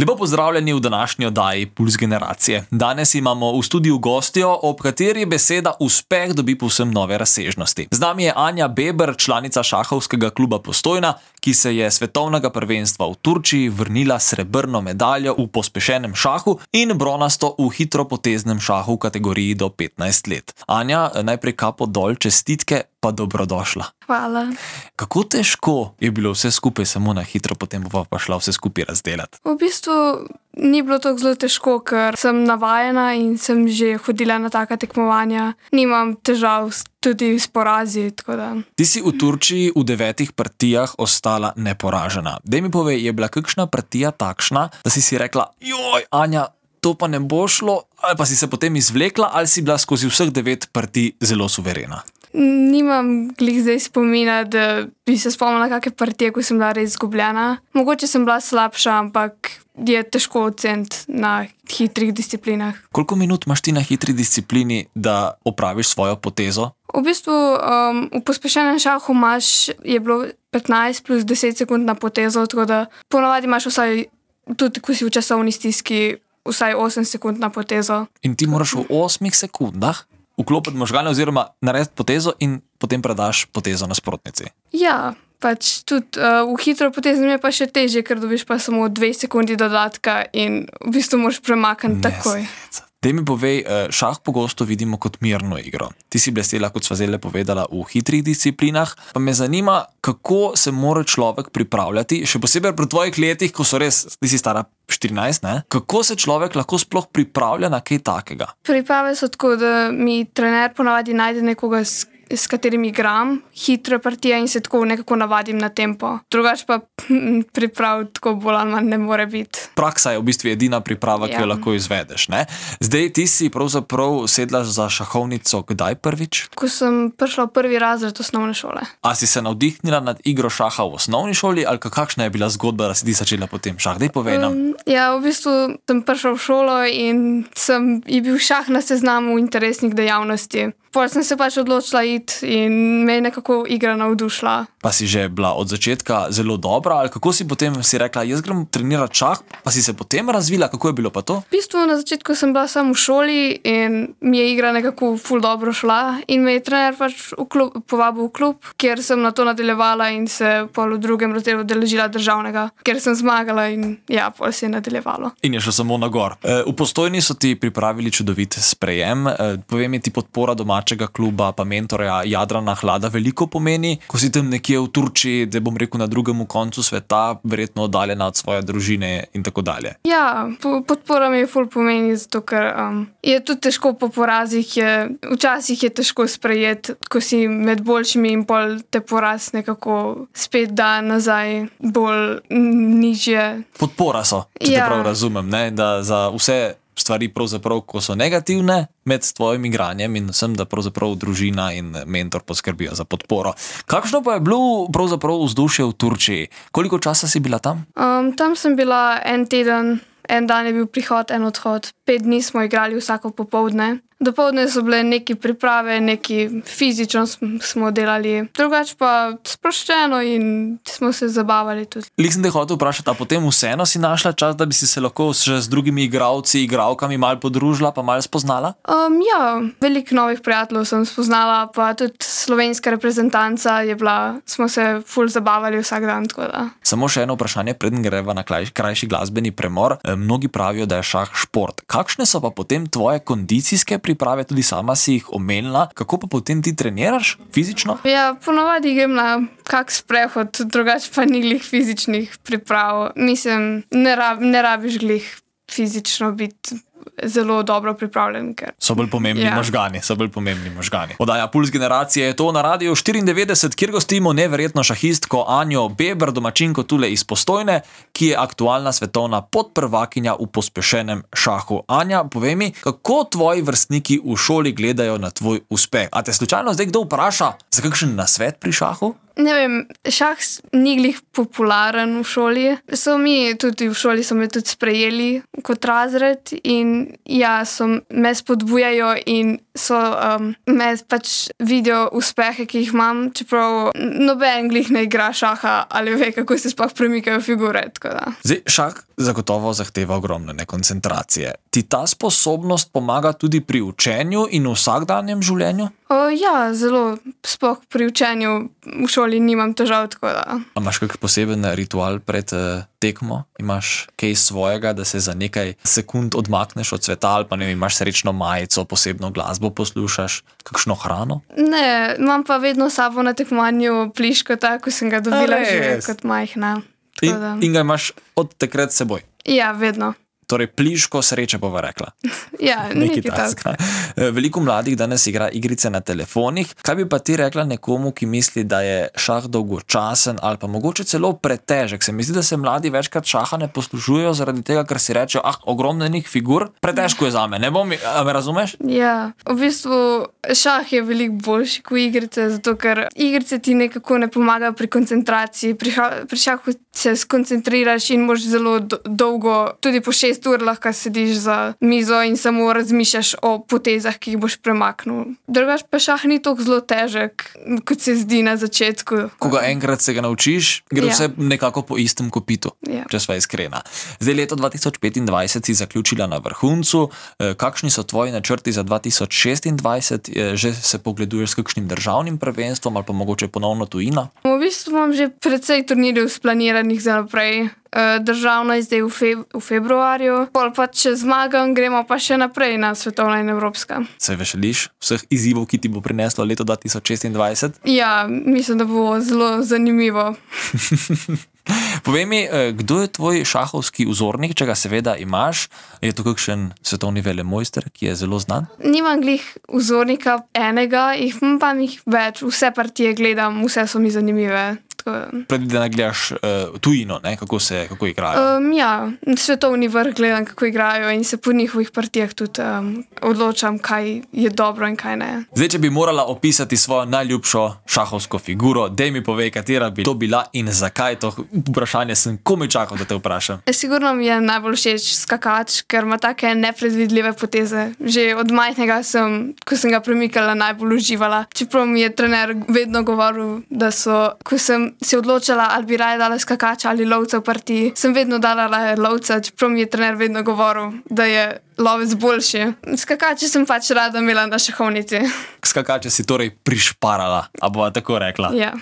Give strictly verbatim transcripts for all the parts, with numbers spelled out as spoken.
Lepo pozdravljeni v današnji oddaji Puls generacije. Danes imamo v studiu gostjo, ob kateri beseda uspeh dobi povsem nove razsežnosti. Z nami je Anja Beber, članica šahovskega kluba Postojna, ki se je svetovnega prvenstva v Turčiji vrnila s srebrno medaljo v pospešenem šahu in bronasto v hitropoteznem šahu v kategoriji do petnajst let. Anja, najprej kapo dol, čestitke, pa dobrodošla. Hvala. Kako težko je bilo vse skupaj samo na hitro, potem bova pa šla vse skupaj razdelati? V bistvu ni bilo tako zelo težko, ker sem navajena in sem že hodila na taka tekmovanja. Nimam težav tudi s porazi, tako da. Ti si v Turčiji v devetih partijah ostala neporažena. Daj mi povej, je bila kakšna partija takšna, da si si rekla, joj, Anja, to pa ne bo šlo, ali pa si se potem izvlekla, ali si bila skozi vseh devet partij zelo suverena? Nimam glih zdaj spomina, da bi se spomnila kakšne partije, ko sem bila res izgubljena. Mogoče sem bila slabša, ampak je težko oceniti na hitrih disciplinah. Koliko minut imaš ti na hitri disciplini, da opraviš svojo potezo? V bistvu um, v pospešenem šahu imaš, je bilo petnajst plus deset sekund na potezo, tako da ponavadi imaš vsaj, tudi ko si v časovni stiski, vsaj osem sekund na potezo. In ti moraš v osmih sekundah vklopiti možgane oziroma narediti potezo in potem predaš potezo nasprotnici. Ja, pač tudi uh, v hitro poteznem je pa še težje, ker dobiš pa samo dve sekundi dodatka in v bistvu moraš premakniti takoj. Daj mi povej, šah pogosto vidimo kot mirno igro. Ti si blestela, kot sva zdaj povedala, v hitrih disciplinah, pa me zanima, kako se mora človek pripravljati, še posebej pri tvojih letih, ko so res, ti si stara štirinajst, ne? Kako se človek lahko sploh pripravlja na kaj takega? Priprave so tako, da mi trener ponavadi najde nekoga, s, s katerim igram, hitre partije in se tako nekako navadim na tempo. Drugač pa priprav tako bolj ali manj ne more biti. Praksa je v bistvu edina priprava, Ja. ki jo lahko izvedeš, ne? Zdaj ti si pravzaprav sedla za šahovnico kdaj prvič? Ko sem prišla v prvi razred osnovne šole. A si se navdihnila nad igro šaha v osnovni šoli ali kakšna je bila zgodba, da si ti začela potem šah? Daj povej nam. Um, ja, v bistvu sem prišla v šolo in sem, je bil šah na seznamu interesnih dejavnosti. Potem sem se pač odločila iti in me je nekako igra navdušila. Pa si že bila od začetka zelo dobra ali kako si potem si rekla, jaz grem trenirati šah, pa si se potem razvila, kako je bilo pa to? V bistvu na začetku sem bila samo v šoli in mi je igra nekako ful dobro šla in me je trener pač v klub, povabil v klub, kjer sem na to nadaljevala in se pol v drugem razredu udeležila državnega, ker sem zmagala in ja, pol se je nadaljevalo. In je šlo samo na gor. E, v Postojni so ti pripravili čudovit sprejem. E, povej mi, ti podpora domačega kluba pa mentorja Jadrana Hlada veliko pomeni, ko si tam nekje v Turčiji, da bom rekel na drugem koncu sveta, verjetno oddaljena od svoje družine in tako dalje. Ja, po, podpora mi je ful pomeni, zato ker um, je tudi težko po porazih, je, včasih je težko sprejeti, ko si med boljšimi in pol te poraz nekako spet da nazaj bolj nižje. Podpora so, če Ja. te prav razumem, ne? Da za vse stvari pravzaprav, ko so negativne med tvojim igranjem in vsem, da pravzaprav družina in mentor poskrbijo za podporo. Kakšno pa je bilo pravzaprav vzdušje v Turčiji? Koliko časa si bila tam? Um, tam sem bila en teden, en dan je bil prihod, en odhod. Pet dni smo igrali vsako popoldne. Dopoldne so bile neki priprave, neki fizično smo delali, drugače pa sproščeno in smo se zabavali tudi. Lik sem te hotel vprašati, a potem vseeno si našla čas, da bi si se lahko še z drugimi igralci, igralkami malo podružila, pa malo spoznala? Um, ja, veliko novih prijateljev sem spoznala, pa tudi slovenska reprezentanca je bila, smo se ful zabavali vsak dan, tako da. Samo še eno vprašanje, preden greva na kraj, krajši glasbeni premor. E, mnogi pravijo, da je šah šport. Kakšne so pa potem tvoje kondicijske priprave, tudi sama si jih omenila, kako pa potem ti treniraš fizično? Ja, ponavadi grem na kak sprehod, drugače pa ni glih fizičnih priprav. Mislim, ne, rab, ne rabiš glih fizično biti zelo dobro pripravljen. Ker... So bolj pomembni Ja. možgani, so bolj pomembni možgani. Oddaja Puls generacije je to na Radiu štiriindevetdeset, kjer gostimo neverjetno šahistko Anjo Beber, domačinko tule iz Postojne, ki je aktualna svetovna podprvakinja v pospešenem šahu. Anja, povej mi, kako tvoji vrstniki v šoli gledajo na tvoj uspeh? A te slučajno zdaj kdo vpraša za kakšen nasvet pri šahu? Ne vem, šah ni glih popularen v šoli. So mi tudi v šoli so me tudi sprejeli kot razred in ja, so me spodbujajo in so um, me pač vidijo uspehe, ki jih imam, čeprav noben glih ne igra šaha ali ve, kako se sploh premikajo figure. Zdaj, šah zagotovo zahteva ogromne koncentracije. Ti ta sposobnost pomaga tudi pri učenju in v vsakdanjem življenju? O, ja, zelo. Sploh pri učenju v šoli nimam težav, tako da. A imaš kak poseben ritual pred uh, tekmo? Imaš kaj svojega, da se za nekaj sekund odmakneš od sveta ali pa ne vem, imaš srečno majico, posebno glasbo poslušaš, kakšno hrano? Ne, imam pa vedno sabo na tekmovanju pliškota, ko sem ga dobila že kot majhna. In, in ga imaš od takrat s seboj? Ja, vedno. Torej, pliško sreče bova rekla. Ja, nekaj takega. Veliko mladih danes igra igrice na telefonih. Kaj bi pa ti rekla nekomu, ki misli, da je šah dolgočasen ali pa mogoče celo pretežek? Se mi zdi, da se mladi večkrat šaha ne poslužujejo zaradi tega, ker si rečejo, ah, ogromno enih figur, pretežko je zame, ne bom, a me razumeš? Ja, v bistvu šah je veliko boljši kot igrice, zato ker igrice ti nekako ne pomagajo pri koncentraciji. Pri, pri šahu se skoncentriraš in moš zelo do, dolgo, tudi po šest ur lahko sediš za mizo in samo razmišljaš o potezah, ki jih boš premaknil. Drugač pa šah ni tako zelo težek, kot se zdi na začetku. Ko ga enkrat se ga naučiš, gre ja. Vse nekako po istem kopitu, ja. Če sva iskrena. Zdaj leto dva tisoč petindvajset si zaključila na vrhuncu. Kakšni so tvoji načrti za dva tisoč šestindvajset? Že se pogleduješ s kakšnim državnim prvenstvom ali pa mogoče ponovno tujina? V bistvu imam že precej turnirjev splaniranih za naprej. Državno je zdaj v, feb v februarju, pol pa če zmagam, gremo pa še naprej na svetovna in evropska. Se veseliš vseh izzivov, ki ti bo prineslo leto dva tisoč šestindvajset? Ja, mislim, da bo zelo zanimivo. Povej mi, kdo je tvoj šahovski vzornik, če ga seveda imaš? Je to kakšen svetovni velemojster, ki je zelo znan? Nimam glih vzornika enega, jih pa jih več, vse partije gledam, vse so mi zanimive. Predvidena gledaš uh, tujino, ne? Kako se kako igrajo? Um, ja, svetovni vrh gledam, kako igrajo in se po njihovih partijah tudi um, odločam, kaj je dobro in kaj ne. Zdaj, če bi morala opisati svojo najljubšo šahovsko figuro, dej mi povej, katera bi to bila in zakaj. To vprašanje sem komaj čakal, da te vprašam. Sigurno mi je najbolj všeč skakač, ker ima take nepredvidljive poteze. Že od majhnega sem, ko sem ga premikala, najbolj uživala. Čeprav mi je trener vedno govoril, da so, ko sem se odločala, ali bi raje dala skakača ali lovca v partiji, sem vedno dala lovca, čeprav mi je trener vedno govoril, da je lovec boljši. Skakače sem pač rada imela na šahovnici. Skakače si torej prišparala, a bova tako rekla. Ja.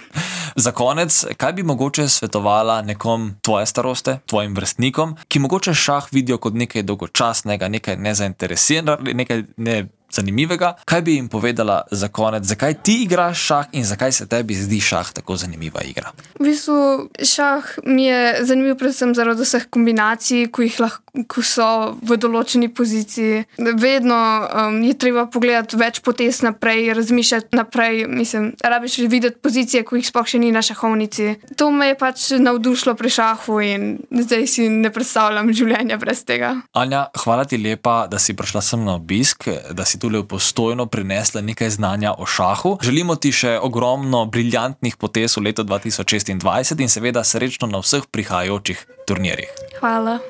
Za konec, kaj bi mogoče svetovala nekom tvoje staroste, tvojim vrstnikom, ki mogoče šah vidijo kot nekaj dolgočasnega, nekaj nezainteresiranega, nekaj ne zanimivega? Kaj bi jim povedala za konec, zakaj ti igraš šah in zakaj se tebi zdi šah tako zanimiva igra? V bistvu šah mi je zanimiv predvsem zaradi vseh kombinacij, ko jih lahko ko so v določeni poziciji. Vedno um, je treba pogledati več potez naprej, razmišljati naprej. Mislim, rabiš videti pozicije, ko jih sploh še ni na šahovnici. To me je pač navdušilo pri šahu in zdaj si ne predstavljam življenja brez tega. Anja, hvala ti lepa, da si prišla sem na obisk, da si tule v Postojno prinesla nekaj znanja o šahu. Želimo ti še ogromno briljantnih potez v letu dva tisoč šestindvajset in seveda srečno na vseh prihajajočih turnirjih. Hvala.